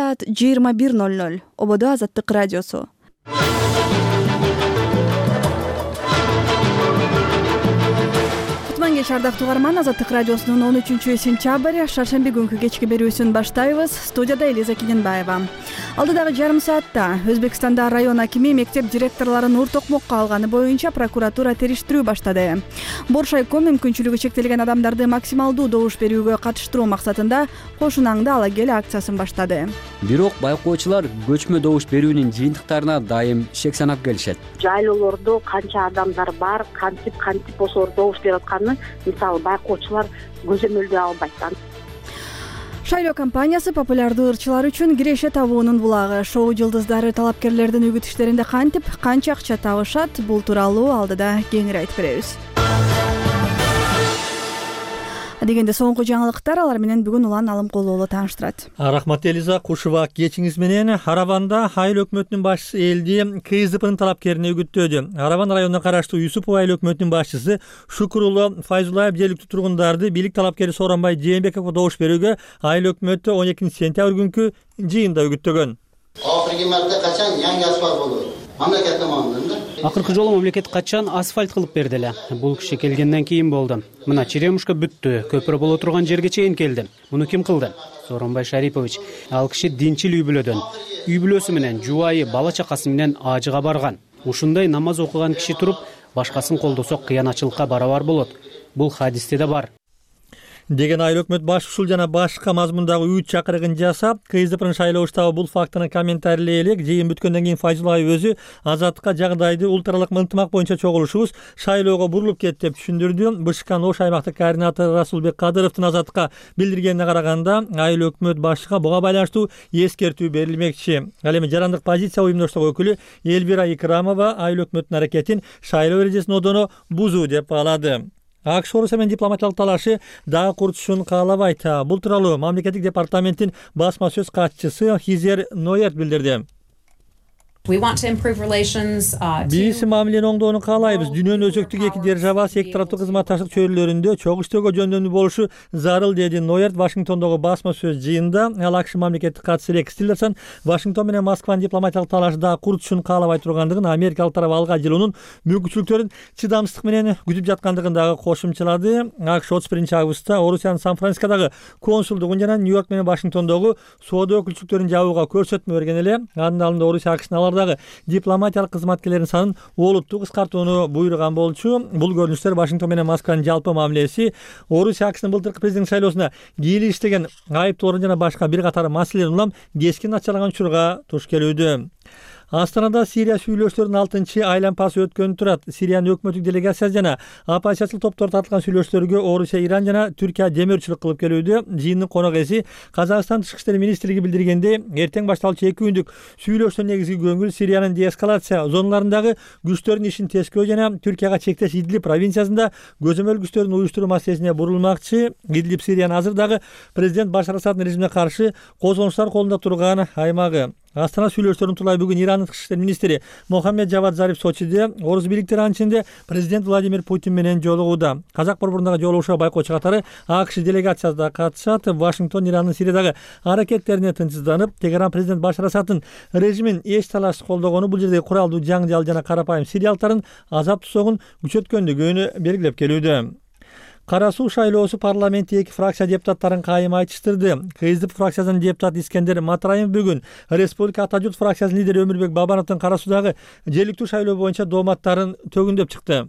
саат 21:00. Ободо Азаттык радиосу. Кутман кеч ардактуу угарман, Азаттык радиосунун 13-сентябрь шаршемби күнкү кечки берүүсүн баштайбыз. Студияда Элиза Кененбаева. Алдыдагы жарым саатта Өзбекстанда район акими мектеп директорлорун ур токмокко алганы боюнча прокуратура териштирүү баштады. Боршайком мүмкүнчүлүгү чектелген адамдарды максималдуу добуш берүүгө катыштыруу максатында кошунаңды ала кел акциясын баштады. Бирок байкоочулар көчмө добуш берүүнүн жыйынтыктарына дайым шек санап келишет. Жайлоолордо канча адамдар бар, кантип ошолор добуш берип атканын мисалы байкоочулар көзөмөлдөй албайт. Шайлоо компаниясы популярдуу ырчылар үчүн киреше табуунун булагы. Шоу жылдыздары талапкерлердин үгүт иштеринде кантип, канча акча табышат, бул тууралуу алдыда кеңири айтып беребиз. Дегенде соңку жаңылыктар, алар менен бүгүн Улан Алымкулуулу тааныштырат. Рахмат Элиза, кушуба кечиңиз менен. Харабанда айыл өкмөтүнүн башчысы элди КСДПнын талапкерине үгүттөдү. Харабан районуна караштуу Юсупов айыл өкмөтүнүн башчысы Шукурулло Файзулаев жергиликтүү тургундарды бийлик талапкери Сооронбай Жээнбековго добуш берүүгө айыл өкмөтү 12-сентябрь күнкү жыйында үгүттөгөн. Акыркы марта качан жаңы асфальт болду? Мамлекет tomonidan. Акыркы жолу мамлекет качан асфальт кылып берди эле. Бул киши келгенден кийин болду. Мына черемушка бүттү, көпүрө боло турган жерге чейин келди. Муну ким кылды? Сооронбай Шарипович. Ал киши динчил үй бүлөдөн. Үй бүлөсү менен, жубайы, бала чакасы менен ажыга барган. Ушундай намаз окуган киши туруп, башкасын колдосо кыянатчылыкка барабар болот. Бул хадисте да бар. Деген айыл өкмөт баш ушул жана башка мазмундагы үгүт чакырыгын жасап, КСДПнын шайлоо штабы бул фактыны комментарийлей элек. Жыйын бүткөндөн кийин Файзулаев өзү Азаттыкка жагдайды ултралык ынтымак боюнча чогулушубуз шайлоого бурулуп кетти деп түшүндүрдү. БШКнын Ош аймактык координатору Расулбек Кадыровдун Азаттыкка билдиргенине караганда, айыл өкмөт башчыга буга байланыштуу эскертүү берилмекчи. Ал эми жарандык позиция уюмдоштугу өкүлү Элвира Икрамова айыл өкмөттүн аракетин шайлоо эрежесин одоно бузуу деп баалады. АКШ Орусия менен дипломатиялык талашы дагы курчушун каалабайт. Бул тууралуу мамлекеттик департаменттин басма сөз катчысы Хизер Ноерт билдирди. Биз мамилени оңдоону каалайбыз. Дүйнөнүн өзөктүк эки держава эки тараптуу кызматташтык чөйрөлөрүндө чогуу иштөөгө жөндөмдүү болушу зарыл, деди Ноерт Вашингтондогу басма сөз жыйында. Ал АКШ мамлекеттик катчысы Рекс Тиллерсон Вашингтон менен Москванын дипломатиялык талашы дагы курчушун каалабай тургандыгын, америкалык тарап алга жылуунун мүмкүнчүлүктөрүн чыдамсыздык менен күтүп жаткандыгын дагы кошумчалады. АКШ 31-августта Орусиянын Сан-Францискодогу консулдугун жана Нью-Йорк менен Вашингтондогу соода өкүлчүлүктөрүн жабууга көрсөтмө берген эле. Анын алдында Орусия АКШнын дагы дипломатиялык кызматкерлердин санын олуттуу кыскартууну буйруган болчу. Бул көрүнүштөр Вашингтон менен Москванын жалпы мамилеси, Орусия АКШнын былтыркы президенттик шайлоосуна кийлиштеген айыптоолорун жана башка бир катар маселелерин улам кескин начарлаган учурга туш келүүдө. Астанада Сирия сүйлөштөрүнүн 6-айлампасы өткөнү турат. Сириянын өкмөттүк делегациясы жана оппозициялык топтор тартылган сүйлөштөргө Орусия, Иран жана Түркия демөөрчүлүк кылып келүүдө. Жыйындын конок эси Казакстан Тышкы иштер министрлиги билдиргенде, эртең башталчу 2 күндүк сүйлөштөрдүн негизги көңүл Сириянын деэскалация зоналарындагы күчтөрдүн ишин тескөө жана Түркияга чектеш Идлиб провинциясында көзөмөл күчтөрүн уюштуруу маселесине бурулмакчы. Идлиб Сириянын азырдагы президент Башар Асаддын режимине каршы козгонуштар колунда турган аймагы. Астана сүйлөштөрүнүн тулай бүгүн Ирандын тышкы иштер министри Мохаммед Жавад Зариф Сочиде, орус бийликтери анчында президент Владимир Путин менен жолугууда. Казак борборундагы жолугушууга байкоочу катары АКШ делегациясы да катышат. Вашингтон Ирандын Сириядагы аракеттерине тынчсызданып, Тегеран президент Башар Асаддын режимин эч талашсыз колдогону бул жердеги куралдуу жаңжал жана карапайым сириялыктардын азап тусогун күчөткөндүгүн белгилеп келүүдө. Кара Суу шайлоосу парламентте эки фракция депутаттарын кайым айтыштырды. КСДП фракциясынын депутаты Искендер Матраев бүгүн Республика Ата журт фракциясынын лидери Өмүрбек Бабановдун Кара Суудагы жергиликтүү шайлоо боюнча дооматтарын төгүндөп чыкты.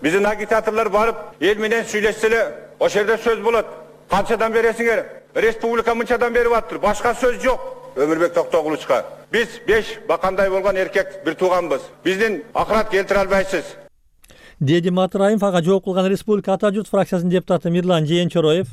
Биздин агитаторлор барып, эл менен сүйлөшсө эле, ошол жерде сөз болот. Канчадан бересиңер? Республика мынчадан берип атыр. Башка сөз жок. Өмүрбек Токтогулучка. Биз 5 бакандай болгон эркек бир тууганбыз. Биздин акырат келтире албайсыз. Деди Матраев ага жооп кылган Республика Ата журт фракциясынын депутаты Мирлан Жээнчороев.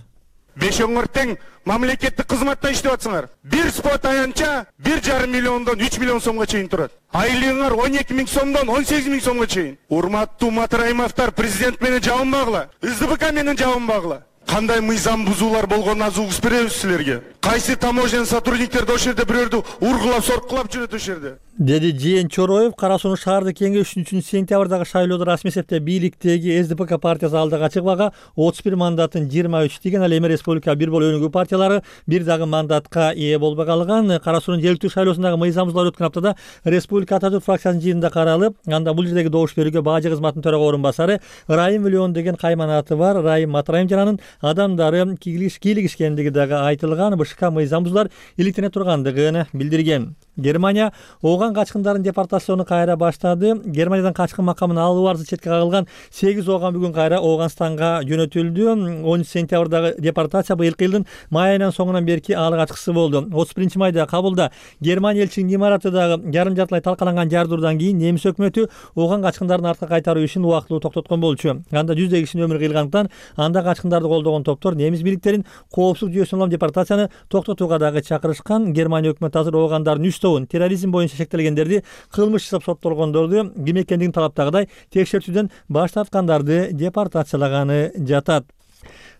Бешөңөр тең мамлекеттик кызматта иштеп атсыңар. Бир спот аянча 1,5 миллиондон 3 миллион сомго чейин турат. Айлыгыңар 12 миң сомдон 18 миң сомго чейин. Урматтуу Матраимовдор президент менен жабынбагыла. СДПК менен жабынбагыла. Кандай мыйзам бузуулар болгонун азыр угуп беребиз силерге. Кайсы таможня сотрудниктер ошол жерде бирөөрдү ургулап, соркулап жүрөт ошол жерде. Деди Жээн Чороев. Кара Суу шаардык кеңеш 3-сентябрдагы шайлоодо расмий эсепте бийликтеги СДПК партиясы алдыга чыгбага 31 мандатын 23 деген, ал эми республика бир болуу өнүгүү партиялары бир дагы мандатка ээ болбой калган. Кара Суунун жергиликтүү шайлоосундагы мыйзам бузуулар өткөн аптада республика Ата Түрк фракциясынын жыйынында каралып, анда бул жердеги добуш берүүгө бажы кызматынын төрага орун басары Райым Миллион деген кайманаты бар Райым Матраим жананын адамдары кийлигишкендиги дагы айтылган. БШК мыйзам бузуулар иликтене тургандыгын билдирген. Германия ооган качкындарын депортацияны кайра баштады. Германиядан качкын макамын алуу арзы четке кагылган 8 ооган бүгүн кайра Ооганстанга жөнөтүлдү. 10 сентябрдагы депортация быйылкы жылдын май айынан соңунан берки алгачкысы болду. 31 майда Кабулда Германия элчилигинин имаратындагы жарым жартылай талкаланган жардыруудан кийин немис өкмөтү ооган качкындарын артка кайтаруу ишин убактылуу токтоткон болчу. Анда жүздөгөн кишинин өмүрү кыйылгандыктан анда качкындарды колдогон топтор немис бийликтерин коопсуздук жүйөсүнө улам депортацияны токтотууга дагы чакырышкан. Германия өкмөтү азыр оогандардын терроризм боюнча шектелгендерди, кылмыш жасап соттолгондорду ким экендигин талаптагыдай текшертүүдөн баш тарткандарды депортациялаганы жатат.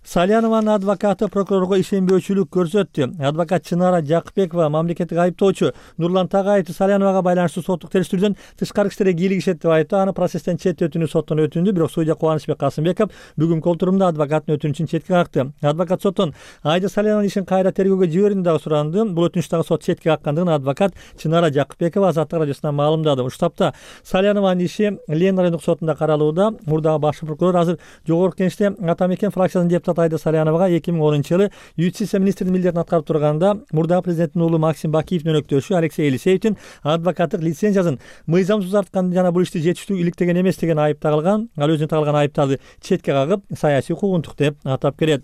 Салянованын адвокаты прокурорго ишенбөөчүлүк көрсөттү. Адвокат Чынара Жакыпбекова мамлекеттик айыптоочу Нурлан Тагаевди Саляновага байланыштуу соттук териштирүүдөн тышкары иштерге кийлигишет деп айтты. Аны процесстен четтетүүнү соттон өтүндү, бирок судья Кубанычбек Касымбеков бүгүнкү отурумда адвокаттын өтүнүчүн четке какты. Адвокат соттон Айда Салянованын ишин кайра тергөөгө жиберуүнү дагы суранды. Бул өтүнүч дагы сот четке каккандыгын адвокат Чынара Жакыпбекова Азаттык радиосуна маалымдады. Ушул тапта Салянованын иши Лен райондук сотунда каралууда. Мурдагы баш прокурор азыр жогорку кеңеште Атамекен фракциясынын депутаты Айда Саляновага 2010-жылы юстиция министринин милдетин аткарып турганда мурдагы президенттин уулу Максим Бакиевдин өнөктөшү Алексей Елисеевдин адвокаттык лицензиясын мыйзам сузарткан жана бул ишти жетиштүү иликтеген эмес деген айып тагылган. Ал өзүнө тагылган айыптарды четке кагып, саясий куугунтук деп атап келет.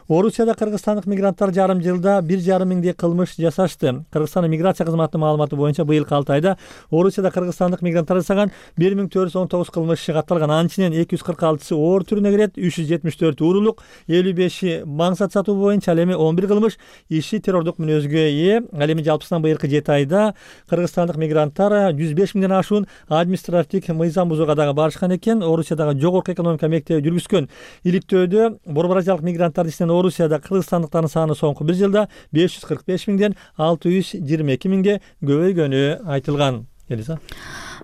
Орусияда кыргызстандык мигранттар жарым жылда 1,5 миңдей кылмыш жасашты. Кыргызстандын миграция кызматынын маалыматы боюнча быйылкы 6 айда Орусияда кыргызстандык мигранттар жасаган 1419 кылмыш катталган. Анын ичинен 246сы оор түрүнө кирет, 374 уурулук, 55 маңсат сатуу боюнча, ал эми 11 кылмыш иши террордук мүнөзгө ээ. Ал эми жалпысынан быйылкы 7 айда кыргызстандык мигранттар 105 миңден ашуун административдик мыйзам бузууга дагы барышкан экен. Орусиядагы жогорку экономика мектеби жүргүзгөн иликтөөдө Борбор Азиялык мигранттардын ичинен Орусияда кыргызстандыктардын саны соңку бир жылда 545 миңден 622 миңге көбөйгөнү айтылган. Элиза.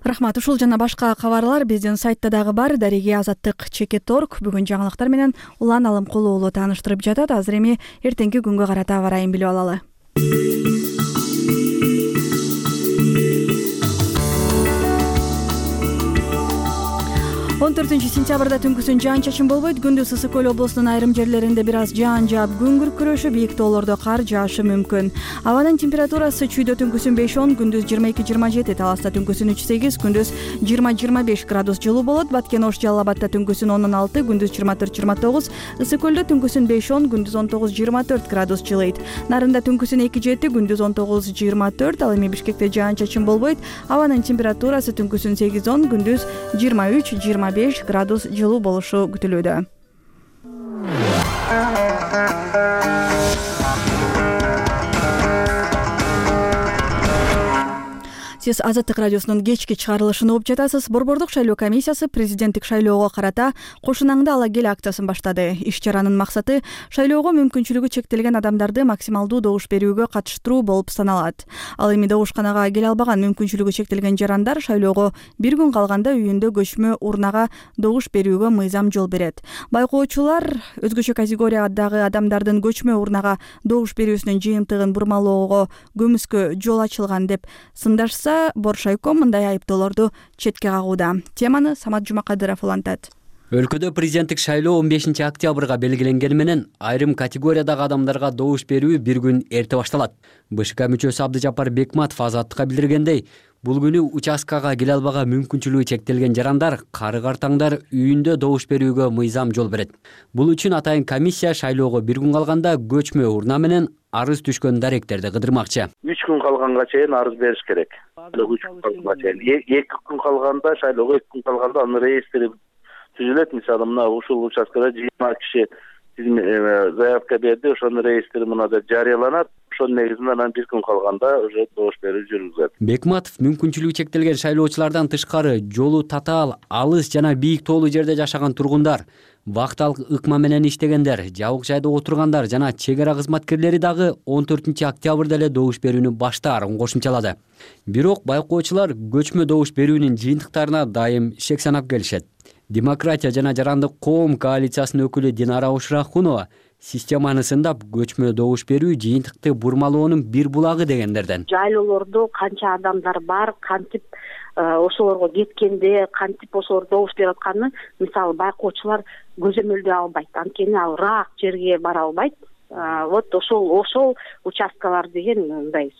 Рахмат. Ушул жана башка кабарлар биздин сайтта дагы бар. Дареги Азаттык.org бүгүн жаңылыктар менен Улан Алымкулуу уулу тааныштырып жатат. Азыр эми эртеңки күнгө карата аба ырайын билип алалы. 14 сентябрда түнкүсүн жаан-чачын болбойт. Күндүз Ысык Көл облусунун айрым жерлеринде бир аз жаан жаап, күн күркүрөшүп, бийик тоолордо кар жаашы мүмкүн. Абанын температурасы чүйдө түнкүсүн 5-10, күндүз 22-27, Таласта түнкүсүн 3-8, күндүз 20-25 градус жылуу болот. Баткен Ош Жалал Абадта түнкүсүн 10-6, күндүз 24-29, Ысык Көлдө түнкүсүн 5-10, күндүз 19-24 градус жылыйт. Нарында түнкүсүн 2-7, күндүз 19-24, ал эми Бишкекте жаан-чачын болбойт. Абанын температурасы түнкүсүн 8-10, күндүз 23-25 градус жылуу болушу күтүлүүдө. Сиз Азаттык радиосунун кечки чыгарылышын угуп жатасыз. Борбордук шайлоо комиссиясы президенттик шайлоого карата кошунаңды ала кел акциясын баштады. Иш-чаранын максаты шайлоого мүмкүнчүлүгү чектелген адамдарды максималдуу добуш берүүгө катыштыруу болуп саналат. Ал эми добушканага келе албаган мүмкүнчүлүгү чектелген жарандар шайлоого бир күн калганда үйүндө көчмө урнага добуш берүүгө мыйзам жол берет. Байкоочулар өзгөчө категориядагы адамдардын көчмө урнага добуш берүүсүнүн жыйынтыгын бурмалоого көмүскө жол ачылган деп сындашса, Боршайком мындай айыптоолорду четке кагууда. Теманы Самат Жумакадыров улантат. Өлкөдө президенттик шайлоо 15 октябрга белгиленгени менен айрым категориядагы адамдарга добуш берүү бир күн эрте башталат. БШК мүчөсү Абдыжапар Бекматов Азаттыкка билдиргендей, бул күнү участкага келе албаган мүмкүнчүлүгү чектелген жарандар, кары-картаңдар үйүндө добуш берүүгө мыйзам жол берет. Бул үчүн атайын комиссия шайлоого бир күн калганда көчмө урна менен арыз түшкөн даректерди кыдырмакчы. 3 күн калганга чейин арыз бериш керек. 3 күн калганга чейин. 2 күн калганда шайлоого 2 күн калганда анын реестри түзүлөт. Мисалы, мына ушул участкада 20 киши заявка берди, ошонун реестри мынада жарыяланат. ошонун негизинде анан бир күн калганда уже добуш берүү жүргүзүлөт. Бекматов мүмкүнчүлүгү чектелген шайлоочулардан тышкары жолу татаал, алыс жана бийик тоолуу жерде жашаган тургундар, вакталык ыкма менен иштегендер, жабык жайда отургандар жана чек ара кызматкерлери дагы 14 октябрда эле добуш берүүнү баштаарын кошумчалады. Бирок байкоочулар көчмө добуш берүүнүн жыйынтыктарына дайым шек санап келишет. Демократия жана жарандык коом коалициясынын өкүлү Динара Ушрахунова системаны сындап, көчмө добуш берүү жыйынтыкты бурмалоонун бир булагы дегендерден. Жайлоолордо канча адамдар бар, кантип ошолорго кеткенде, кантип ошолор добуш берип атканын мисалы байкоочулар көзөмөлдөй албайт. Анткени ал ыраак жерге бара албайт. Вот ошол участкалар деген мындай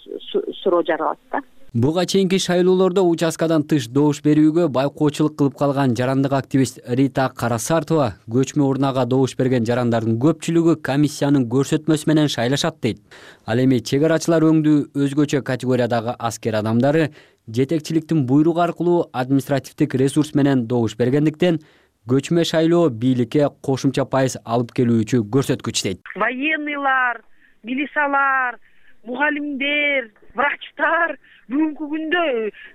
суроо жаралат да. Буга чейинки шайлоолордо участкадан тыш добуш берүүгө байкоочулук кылып калган жарандык активист Рита Карасартова көчмө урнага добуш берген жарандардын көпчүлүгү комиссиянын көрсөтмөсү менен шайлашат дейт. Ал эми чек арачылар өңдүү өзгөчө категориядагы аскер адамдары жетекчиликтин буйругу аркылуу административдик ресурс менен добуш бергендиктен көчмө шайлоо бийликке кошумча пайыз алып келүүчү көрсөткүч дейт. Военныйлар, милициялар, мугалимдер, врачтар бүгүнкү күндө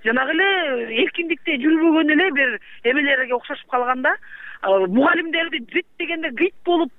жанагы эле эркиндикте жүрбөгөн эле бир эмелерге окшошуп калганда, мугалимдерди бүт дегенде гыйт болуп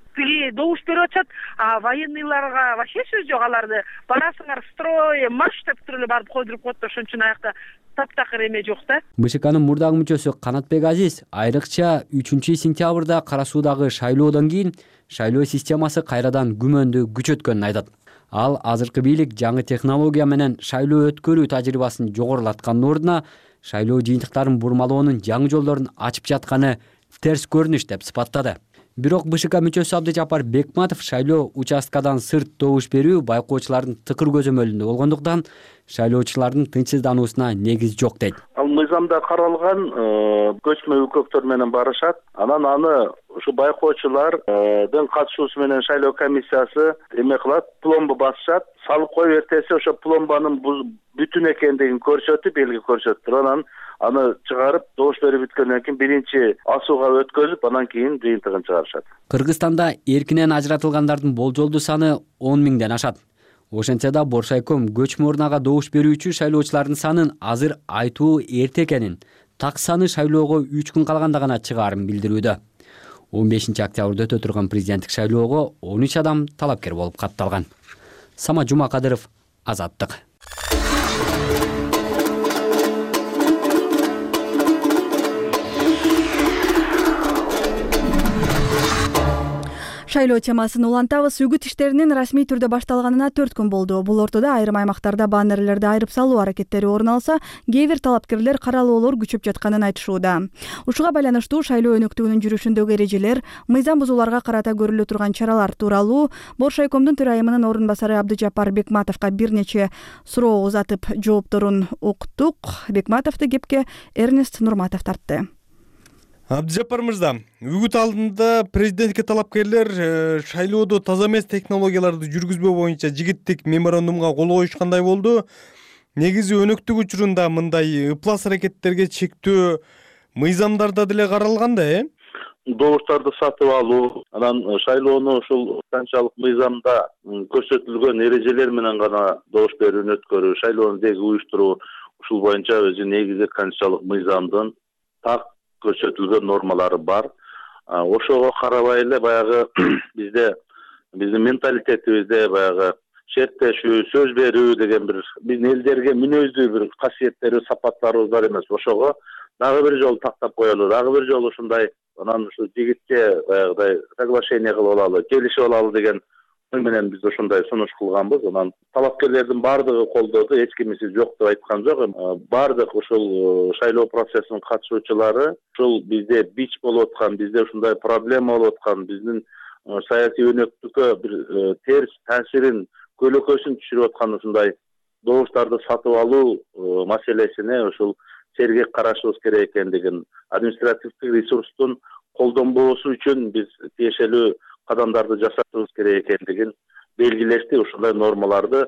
добуш берип атышат, а военныйларга вообще сөз жок. Аларды барасыңар строй, марш деп туруп эле барып койдуруп коет да, ошон үчүн аякта таптакыр эме жок да. БШКнын мурдагы мүчөсү Канатбек Азиз айрыкча 3-сентябрда Кара Суудагы шайлоодон кийин шайлоо системасы кайрадан күмөндү күчөткөнүн айтат. Ал азыркы бийлик жаңы технология менен шайлоо өткөрүү тажрыйбасын жогорулаткандын ордуна шайлоо жыйынтыктарын бурмалоонун жаңы жолдорун ачып жатканы терс көрүнүш деп сыпаттады. Бирок БШК мүчөсү Абдыжапар Бекматов шайлоо участкадан сырт добуш берүү байкоочулардын тыкыр көзөмөлүндө болгондуктан шайлоочулардын тынчсыздануусуна негиз жок дейт. Ал мыйзамда каралган көчмө өлкөктөр менен барышат. Анан аны ушу байкоочулардын катышуусу менен шайлоо комиссиясы эме кылат, пломба басышат. Салып коюп эртеси ошо пломбанын бүтүн экендигин көрсөтүп, белги көрсөтүп туруп анан аны чыгарып, добуш берип бүткөндөн кийин биринчи асууга өткөзүп, анан кийин жыйынтыгын чыгарышат. Кыргызстанда эркинен ажыратылгандардын болжолдуу саны 10 миңден ашат. Ошентсе да Боршайком көчмө урнага добуш берүүчү шайлоочулардын санын азыр айтуу эрте экенин, так саны шайлоого 3 күн калганда гана чыгаарын билдирүүдө. 15 октябрда өтө турган президенттик шайлоого 13 адам талапкер болуп катталган. Сама Жумакадыров, Азаттык. Шайлоо темасын улантабыз. Үгүт иштеринин расмий түрдө башталганына 4 күн болду. Бул ортодо айрым аймактарда баннерлерди айырып салуу аракеттери орун алса, кээ бир талапкерлер каралоолор күчөп жатканын айтышууда. Ушуга байланыштуу шайлоо өнөктүгүнүн жүрүшүндөгү эрежелер, мыйзам бузууларга карата көрүлө турган чаралар тууралуу Боршайкомдун төрайымынын орун басары Абдыжапар Бекматовго бир нече суроо узатып жоопторун уктук. Бекматовду кепке Эрнест Нурматов тартты. Абдыжапар мырза, үгүт алдында президентке талапкерлер шайлоодо таза эмес технологияларды жүргүзбөө боюнча жигиттик меморандумга кол коюшкандай болду. Негизи өнөктүк учурунда мындай ыплас аракеттерге чектөө мыйзамдарда деле каралган да, Добуштарды сатып алуу, анан шайлоону ушул канчалык мыйзамда көрсөтүлгөн эрежелер менен гана добуш берүүнү өткөрүү, шайлоону деги уюштуруу, ушул боюнча өзү негизи канчалык мыйзамдын так көрсөтүлгөн нормалары бар. Ошого карабай эле баягы биздин менталитетибизде баягы шерттешүү, сөз берүү деген биздин элдерге мүнөздүү бир касиеттери, сапаттарыбыз бар эмес. Ошого дагы бир жолу тактап коелу, дагы бир жолу ушундай анан ушу жигитче баягыдай соглашение кылып алалы, келишип алалы деген ой менен биз ушундай сунуш кылганбыз. Анан талапкерлердин баардыгы колдоду, эч кимиси жок деп айткан жок. Баардык ушул шайлоо процессинин катышуучулары ушул бизде бич болуп аткан, бизде ушундай проблема болуп аткан, биздин саясий өнөктүккө бир терс таасирин, көлөкөсүн түшүрүп аткан ушундай добуштарды сатып алуу маселесине ушул сергек карашыбыз керек экендигин, административдик ресурстун колдонбоосу үчүн биз тиешелүү кадамдарды жасашыбыз керек экендигин белгилешти. Ушундай нормаларды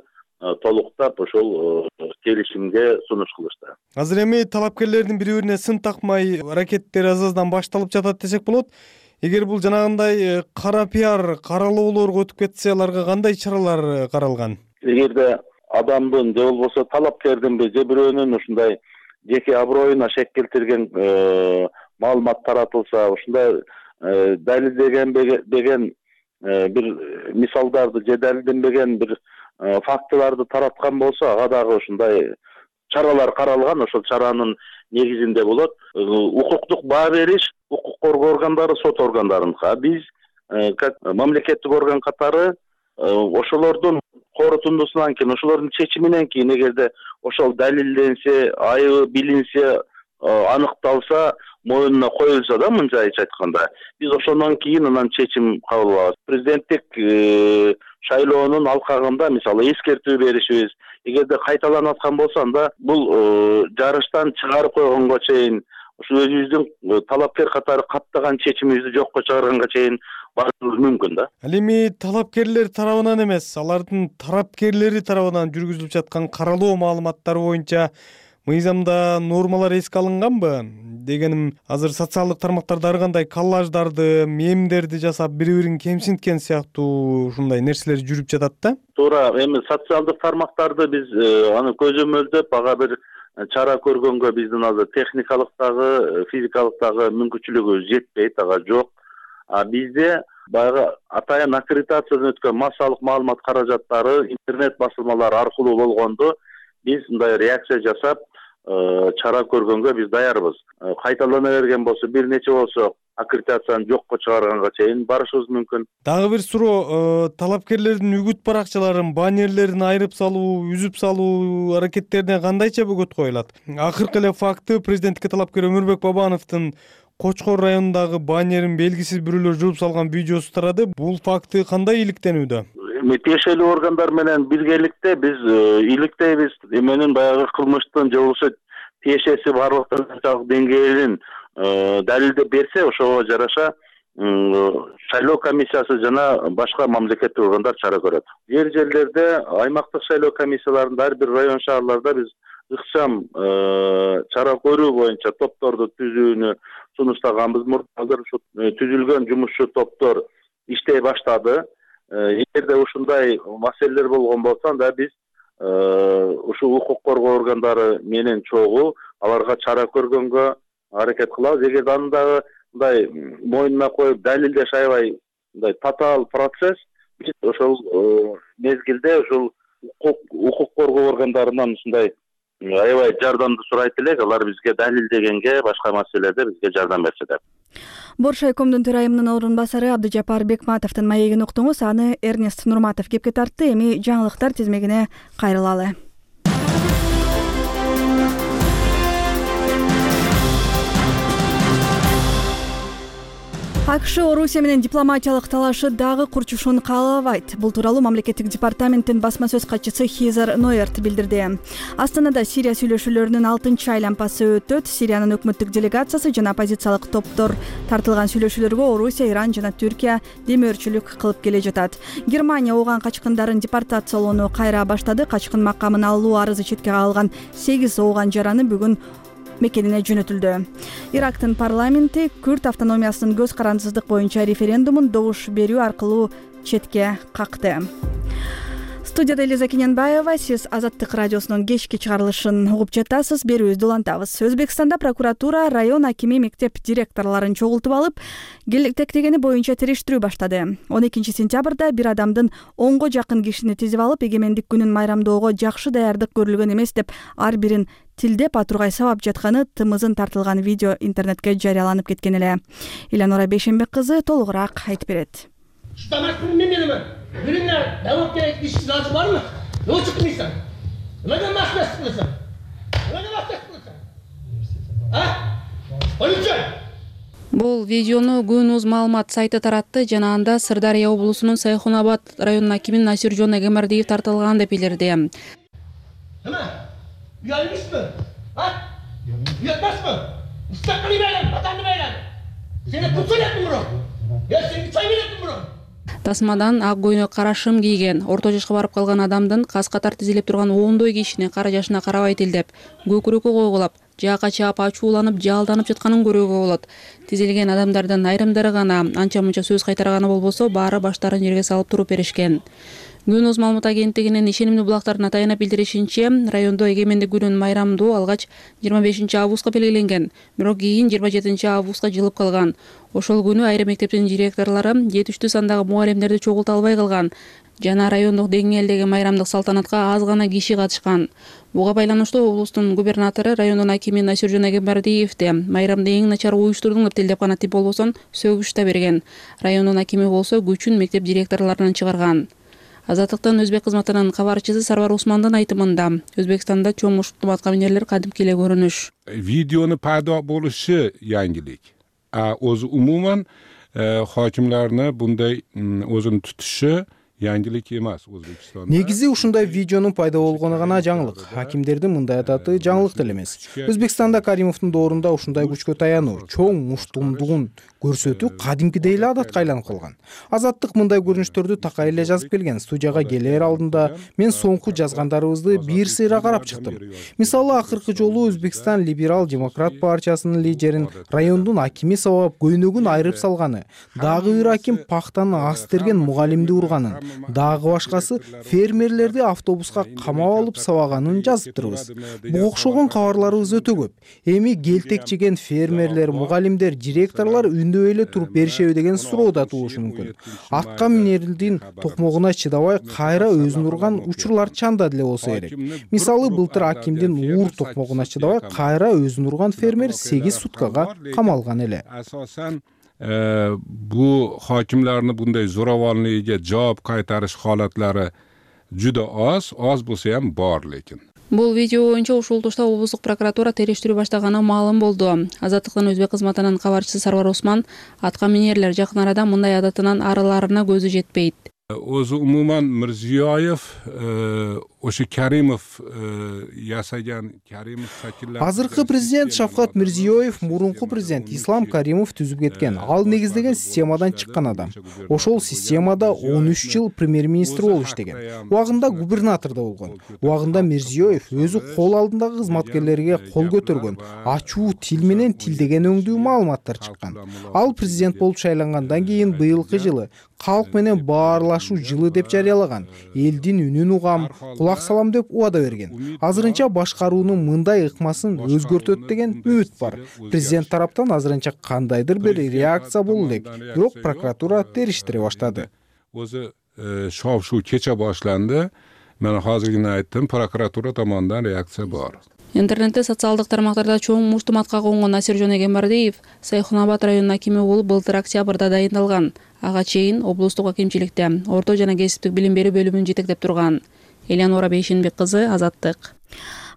толуктап ушул келишимге сунуш кылышты. Азыр эми талапкерлердин бири-бирине сын такмай аракеттери аз-аздан башталып жатат десек болот. Эгер бул жанагындай кара пиар каралоолорго өтүп кетсе, аларга кандай чаралар каралган? эгерде адамдын же болбосо талапкердинби же бирөөнүн ушундай жеке аброюна шек келтирген маалымат таратылса, ушундай далилдеген бир мисалдарды же далилденбеген бир фактыларды тараткан болсо, ага дагы ушундай чаралар каралган. Ошол чаранын негизинде болот укуктук баа бериш укук коргоо органдары, сот органдарыныкы. Биз как мамлекеттик орган катары ошолордун корутундусунан кийин, ошолордун чечиминен кийин, эгерде ошол далилденсе, айыбы билинсе, аныкталса, моюнуна коюлса да, мынчайча айтканда, биз ошондон кийин анан чечим кабыл алабыз. Президенттик шайлоонун алкагында мисалы эскертүү беришибиз, эгерде кайталанып аткан болсо, анда бул жарыштан чыгарып койгонго чейин, ушу өзүбүздүн талапкер катары каттаган чечимибизди жокко чыгарганга чейин барышыбыз мүмкүн да. Ал эми талапкерлер тарабынан эмес, алардын тарапкерлери тарабынан жүргүзүлүп жаткан каралоо маалыматтары боюнча мыйзамда нормалар эске алынганбы? Дегеним, азыр социалдык тармактарда ар кандай коллаждарды, мемдерди жасап, бири-бирин кемсинткен сыяктуу ушундай нерселер жүрүп жатат да. Туура, эми социалдык тармактарды биз аны көзөмөлдөп, ага бир чара көргөнгө биздин азыр техникалык дагы, физикалык дагы мүмкүнчүлүгүбүз жетпейт, ага жок. Бизде баягы атайын аккредитациядан өткөн массалык маалымат каражаттары интернет басылмалары аркылуу болгондо биз мындай реакция жасап, чара көргөнгө биз даярбыз. Кайталана берген болсо, бир нече болсо аккредитацияны жокко чыгарганга чейин барышыбыз мүмкүн. Дагы бир суроо, талапкерлердин үгүт баракчаларын, баннерлерин айрып салуу, үзүп салуу аракеттерине кандайча бөгөт коюлат? Акыркы эле факты президенттикке талапкер Өмүрбек Бабановдун Кочкор районундагы баннерин белгисиз бирөөлөр жууп салган видеосу тарады. Бул факты кандай иликтенүүдө? Тиешелүү органдар менен биргеликте биз иликтейбиз. Эменин баягы кылмыштын же болбосо тиешеси барлык деңгээлин далилдеп берсе, ошого жараша шайлоо комиссиясы жана башка мамлекеттик органдар чара көрөт. Жерлерде аймактык шайлоо комиссияларында ар бир район шаарларда биз ыкчам чара көрүү боюнча топторду түзүүнү сунуштаганбыз. Азыр ушу түзүлгөн жумушчу топтор иштей баштады. Эгерде ушундай маселелер болгон болсо, анда биз ушу укук коргоо органдары менен чогуу аларга чара көргөнгө аракет кылабыз. Эгерде андагы мындай моюнуна коюп далилдеш аябай мындай татаал процесс, биз ошол мезгилде ушул укук коргоо органдарынан ушундай аябай жардамды сурайт элек. Алар бизге далилдегенге, башка маселелерде бизге жардам берсе деп. Бош райкомдун төрайымынын орун басары Абдыжапар Бекматовдун маегин уктуңуз. Аны Эрнест Нурматов кепке тартты. Эми жаңылыктар тизмегине кайрылалы. АКШ Орусия менен дипломатиялык талашы дагы курчушууну каалабайт. Бул тууралуу мамлекеттик департаменттин басма сөз катчысы Хизер Нойерт билдирди. Астанада Сирия сүйлөшүүлөрүнүн 6-чы айланпасы өтөт. Сириянын өкмөттүк делегациясы жана оппозициялык топтор тартылган сүйлөшүүлөргө Орусия, Иран жана Түркия демөөрчүлүк кылып келе жатат. Германия ооган качкындарын депортациялоону кайра баштады. Качкын макамын алуу арызы четке кагылган 8 ооган жараны бүгүн мекенине жөнөтүлдү. Ирактын парламенти Күрд автономиясынын көз карандысыздык боюнча референдумун добуш берүү аркылуу четке какты. Студияда Элиза Кененбаева, сиз Азаттык радиосунун кечки чыгарылышын угуп жатасыз. Берүүбүздү улантабыз. Өзбекстанда прокуратура район акими мектеп директорлорун чогултуп алып, келтектегени боюнча териштирүү баштады. 12 сентябрда бир адамдын 10го жакын кишини тизип алып, эгемендик күнүн майрамдоого жакшы даярдык көрүлгөн эмес деп ар бирин тилдеп атургай сабап жатканы тымызын тартылган видео интернетке жарыяланып кеткен эле. Иленора Бейшенбек кызы толугураак айтып берет. Birinler devlet gerekli işçiler var mı? Ne o çıktın insan? Neden mahkes kılırsan? Neden mahkes kılırsan? Ha? Poliçe! Бул видеону Күнүз маалымат сайты таратты жана анда Сырдария облусунун Сайхунабад районунун акими Насиржон Эгемердиев тартылган деп билдирди. Hemen. Üyelmiş mi? Ha? Üyetmez mi? Müstakili beyler, vatanlı beyler. Seni kutsun ettim bunu. Ya seni çay ettim bunu. Тасмадан ак көйнөк карашым кийген, орто жашка барып калган адамдын кас катар тизилип турган ондой кишини кара жашына карабайт элдеп, көкүрөккө койгулап, жаакка чаап ачууланып, жалданып жатканын көрүүгө болот. Тизилген адамдардын айрымдары гана анча мынча сөз кайтарганы болбосо, баары баштарын жерге салып туруп беришкен. Күнөз маалымат агенттигинин ишенимдүү булактарына таянып билдиришинче, райондо эгемендик күнүн майрамдоо алгач 25 августка белгиленген, бирок кийин 27 августка жылып калган. Ошол күнү айрым мектептин директорлору жетиштүү сандагы мугалимдерди чогулта албай калган жана райондук деңгээлдеги майрамдык салтанатка аз гана киши катышкан. Буга байланыштуу облустун губернатору, райондун акими Насиржан Эгембердиевди майрамды эң начар уюштурдуң деп тилдеп гана тип болбосо сөгүш да берген. Райондун акими болсо күчүн мектеп директорлорунан чыгарган. Азаттыктын өзбек кызматынын кабарчысы Сарвар Усмандын айтымында, Өзбекстанда чоң муштум атка минерлер кадимки эле көрүнүш. Видеону пайда болушу яңгилик. O'zi umuman hokimlarni bunday o'zini tutishi yangilik emas O'zbekistonda. Негизи ушундай видеонун пайда болгону гана жаңылык. Хакимдердин мындай ататы жаңылык деле эмес. Өзбекстанда Каримовдун доорунда ушундай күчкө таянуу, чоң муштумдугун көрсөтүү кадимкидей эле адатка айланып калган. Азаттык мындай көрүнүштөрдү такай эле жазып келген. Студияга келер алдында мен соңку жазгандарыбызды бир сыйра карап чыктым. Мисалы, акыркы жолу Өзбекстан либерал-демократ партиясынын лидерин райондун акими сабап көйнөгүн айрып салганы, дагы бир аким пахтаны астерген мугалимди урганын, дагы башкасы фермерлерди автобуска камап алып сабаганын жазыптырбыз. Буга окшогон кабарларыбыз өтө көп. Эми келтек жеген фермерлер, мугалимдер, директорлор үндөй эле туруп беришеби деген суроо да туулушу мүмкүн. Атка минердин токмогуна чыдабай кайра өзүн урган учурлар чанда деле болсо керек. Мисалы, былтыр акимдин уур токмогуна чыдабай кайра өзүн урган фермер 8 суткага камалган эле. Bu hokimlarni bunday zo'ravonligiga javob qaytarish holatlari juda oz bo'lsa ham bor lekin. Бул видео боюнча ушул тушта облустук прокуратура териштирүү баштаганы маалым болду. Азаттыктын өзбек кызматынын кабарчысы Сарвар Усман атка минерлер жакын арада мындай адатынан арыларына көзү жетпейт. O'zi umuman Mirziyoyev o'sha Karimov yasagan Karimov shakllantirgan. Азыркы президент Шавкат Мирзиёев мурунку президент Ислам Каримов түзүп кеткен. Ал негиздеген системадан чыккан адам. Ошол системада 13 жыл премьер-министр болуп иштеген. Убагында губернатор да болгон. Убагында Мирзиёев өзү кол алдындагы кызматкерлерге кол көтөргөн, ачуу тил менен тилдеген өңдүү маалыматтар чыккан. Ал президент болуп шайлангандан кийин быйылкы жылы калк менен баарлашуу жылы деп жарыялаган. Элдин үнүн угам, кулак салам деп убада берген. Азырынча башкаруунун мындай ыкмасын өзгөртөт деген үмүт бар. Президент тараптан азырынча кандайдыр бир реакция болуу элек. Бирок прокуратура териштире баштады. O'zi shov-shuv kecha boshlandi. Men hozirgina aytdim, prokuratura tomonidan reaksiya bor. Интернетте социалдык тармактарда чоң муштум атка конгон Насиржан Эгембердиев Сайхунабад районунун акими болуп былтыр октябрда дайындалган. Ага чейин облустук акимчиликте орто жана кесиптик билим берүү бөлүмүн жетектеп турган. Элеонора Бейшенбек кызы, Азаттык.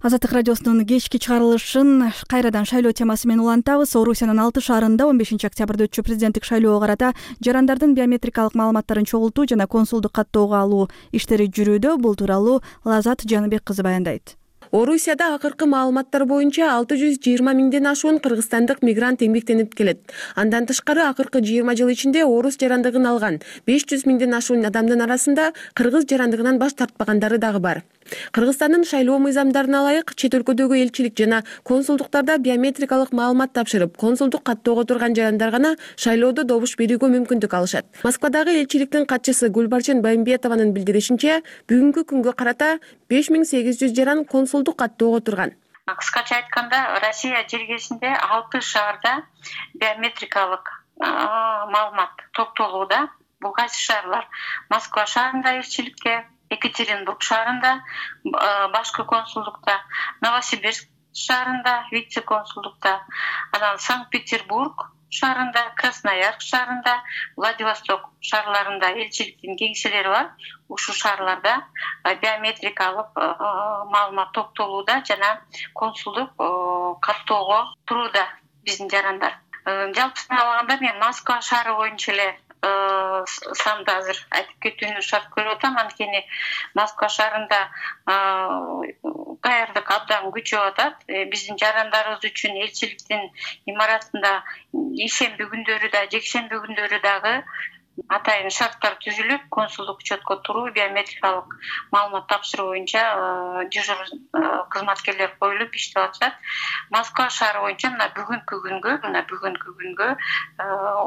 Азаттык радиосунун кечки чыгарылышын кайрадан шайлоо темасы менен улантабыз. Орусиянын 6 шаарында 15 октябрда өтчү президенттик шайлоого карата жарандардын биометрикалык маалыматтарын чогултуу жана консулдук каттоого алуу иштери жүрүүдө. Бул тууралуу Лазат Жаныбек кызы баяндайт. Орусияда акыркы маалыматтар боюнча 620 миңден ашуун кыргызстандык мигрант эмгектенип келет. Андан тышкары акыркы 20 жыл ичинде орус жарандыгын алган 500 миңден ашуун адамдын арасында кыргыз жарандыгынан баш тартпагандары дагы бар. Кыргызстандын шайлоо мыйзамдарына ылайык чет өлкөдөгү элчилик жана консулдуктарда биометрикалык маалымат тапшырып, консулдук каттоого турган жарандар гана шайлоодо добуш берүүгө мүмкүндүк алышат. Москвадагы элчиликтин катчысы Гүлбарчын Байымбетованын билдиришинче, бүгүнкү күнгө карата 5800 жаран консулдук каттоого турган. Кыскача айтканда, Россия жергесинде 6 шаарда биометрикалык маалымат топтолууда. Бул кайсы шаарлар? Москва шаарында элчиликте, Екатеринбург шаарында, башкы консулдукта, Новосибирск шаарында, вице-консулдукта, анан Санкт-Петербург шаарында, Красноярск шаарында, Владивосток шаарларында элчиликтин кеңселери бар. Ушул шаарларда биометрикалык маалымат топтолууда жана консулдук каттоого турууда биздин жарандар. Жалпысынан алганда мен Москва шаары боюнча эле санды азыр айтып кетүүнү шарт көрүп атам. Анткени Москва шаарында даярдык абдан күчөп атат. Биздин жарандарыбыз үчүн элчиликтин имаратында ишемби күндөрү да, жекшемби күндөрү дагы атайын шарттар түзүлүп, консулдук учетко туруу, биометрикалык маалымат тапшыруу боюнча дежур кызматкерлер коюлуп иштеп атышат. Москва шаары боюнча мына бүгүнкү күнгө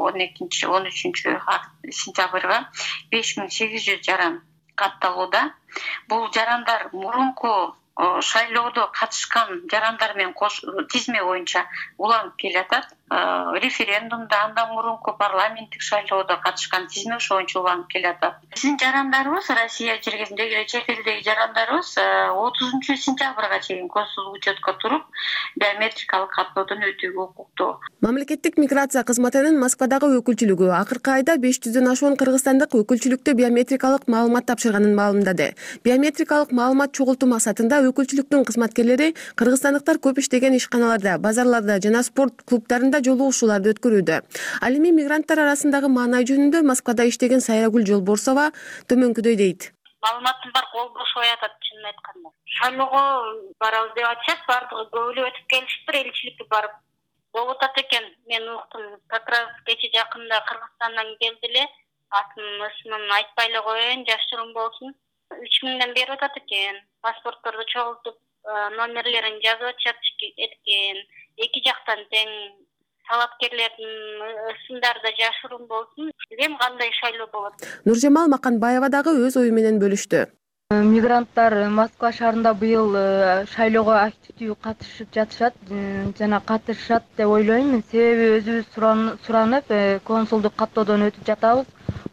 13 сентябрга 5800 жаран катталууда. Бул жарандар мурунку шайлоодо катышкан жарандар менен тизме боюнча уланып келатат. Референдумда, андан мурунку парламенттик шайлоодо катышкан тизме ошо боюнча уланып келатат. Биздин жарандарыбыз, Россия жергесиндеги эле чет элдеги жарандарыбыз 30-сентябрга чейин консулдук учетко туруп, биометрикалык каттоодон өтүүгө укуктуу. Мамлекеттик миграция кызматынын Москвадагы өкүлчүлүгү акыркы айда 500дөн ашуун кыргызстандык өкүлчүлүктө биометрикалык маалымат тапшырганын маалымдады. Биометрикалык маалымат чогултуу максатында өкүлчүлүктүн кызматкерлери кыргызстандыктар көп иштеген ишканаларда, базарларда жана спорт клубдарында жолугушууларды өткөрүүдө. Ал эми мигранттар арасындагы маанай жөнүндө Москвада иштеген Сайрагүл Жолборсова төмөнкүдөй дейт. Маалыматтын бар кол бошуп аятат, чынын айтканда. Шайлоого барабыз деп атышат, бардыгы көбүлө өтүп келишиптир, элчиликке барып болуп атат экен. Мен уктум, как раз кече жакында Кыргызстандан келди эле, атын ысмын айтпай эле коеюн, жашыруун болсун. 3000ден берип атат экен. Паспортторду чогултуп, номерлерин жазып атышат экен. Эки жактан тең талапкерлердин ысымдары да жашыруун болсун. Билем кандай шайлоо болот. Нуржамал Маканбаева дагы өз ою менен бөлүштү. Мигранттар Москва шаарында быйыл шайлоого активдүү катышып жатышат жана катышат деп ойлойм. Себеби өзүбүз суранып, консулдук каттоодон өтүп жатабыз.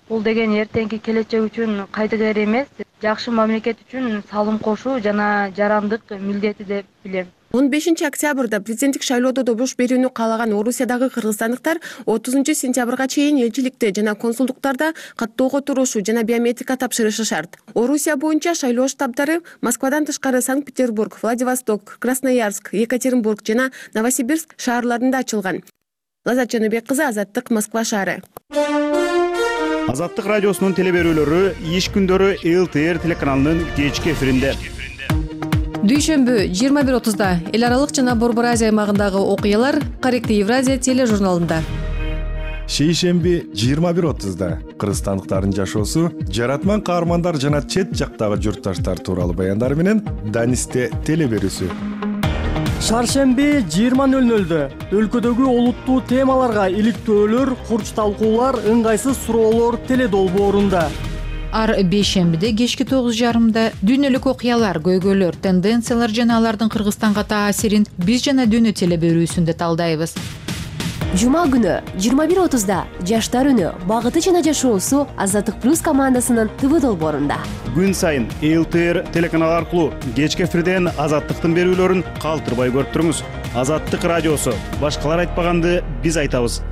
Бул деген эртеңки келечек үчүн кайдыгер эмес, жакшы мамлекет үчүн салым кошуу жана жарандык милдети деп билем. 15 октябрда президенттик шайлоодо добуш берүүнү каалаган Орусиядагы кыргызстандыктар 30 сентябрга чейин элчиликте жана консулдуктарда каттоого турушу жана биометрика тапшырышы шарт. Орусия боюнча шайлоо штабдары Москвадан тышкары Санкт-Петербург, Владивосток, Красноярск, Екатеринбург жана Новосибирск шаарларында ачылган. Лазат Жаныбек кызы, Азаттык, Москва шаары. Азаттык радиосунун телеберүүлөрү иш күндөрү ЛТР телеканалынын кечки эфиринде. Дүйшөмбү 21:30-да эл аралык жана Борбор Азия аймагындагы окуялар Корректив Евразия тележурналында. Шейшемби 21:30-да кыргызстандыктардын жашоосу, жаратман каармандар жана чет жактагы журтташтар тууралуу баяндар менен Данисте телеберүүсү. Шаршемби 20:00-дө өлкөдөгү олуттуу темаларга иликтөөлөр, курч талкуулар, ыңгайсыз суроолор теледолбоорунда. Ар бейшембиде кечки 9:30-да дүйнөлүк окуялар, көйгөйлөр, тенденциялар жана алардын Кыргызстанга таасирин биз жана дүйнө телеберүүсүндө талдайбыз. Жума күнү 21:30-да жаштар үнү, багыты жана жашоосу Азаттык плюс командасынын ТВ долбоорунда. Күн сайын ЛТР телеканалы аркылуу кечки эфирден Азаттыктын берүүлөрүн калтырбай көрүп туруңуз. Азаттык радиосу, башкалар айтпаганды биз айтабыз.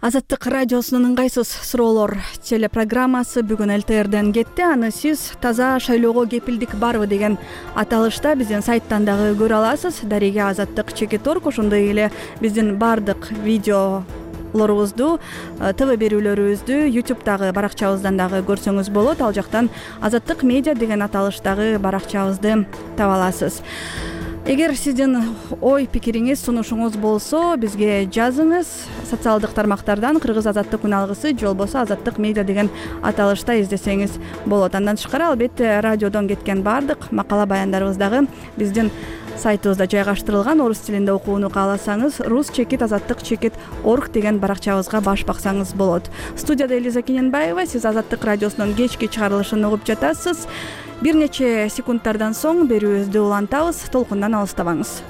Азаттык радиосунун ыңгайсыз суроолор телепрограммасы бүгүн ЛТРден кетти. Аны сиз таза шайлоого кепилдик барбы деген аталышта биздин сайттан дагы көрө аласыз. Дареге Азаттык /Org, ошондой эле биздин бардык видеолорубузду, ТВ берүүлөрүбүздү YouTube'дагы баракчабыздан дагы көрсөңүз болот. Ал жактан Азаттык медиа деген аталыштагы баракчабызды таба аласыз. Эгер сиздин ой пикириңиз, сунушуңуз болсо, бизге жазыңыз. Социалдык тармактардан Кыргыз Азаттык күн алгысы же болбосо Азаттык медиа деген аталышта издесеңиз болот. Андан тышкары албетте радиодон кеткен бардык макала баяндарыбыз дагы биздин сайтыбызда жайгаштырылган. Орус тилинде окууну кааласаңыз Rus-Azattyk.org деген баракчабызга баш баксаңыз болот. Студияда Элиза Кененбаева, сиз Азаттык радиосунун кечки чыгарылышын угуп жатасыз. Бир нече секундтардан соң берүүбүздү улантабыз. Толкундан алыстабаңыз.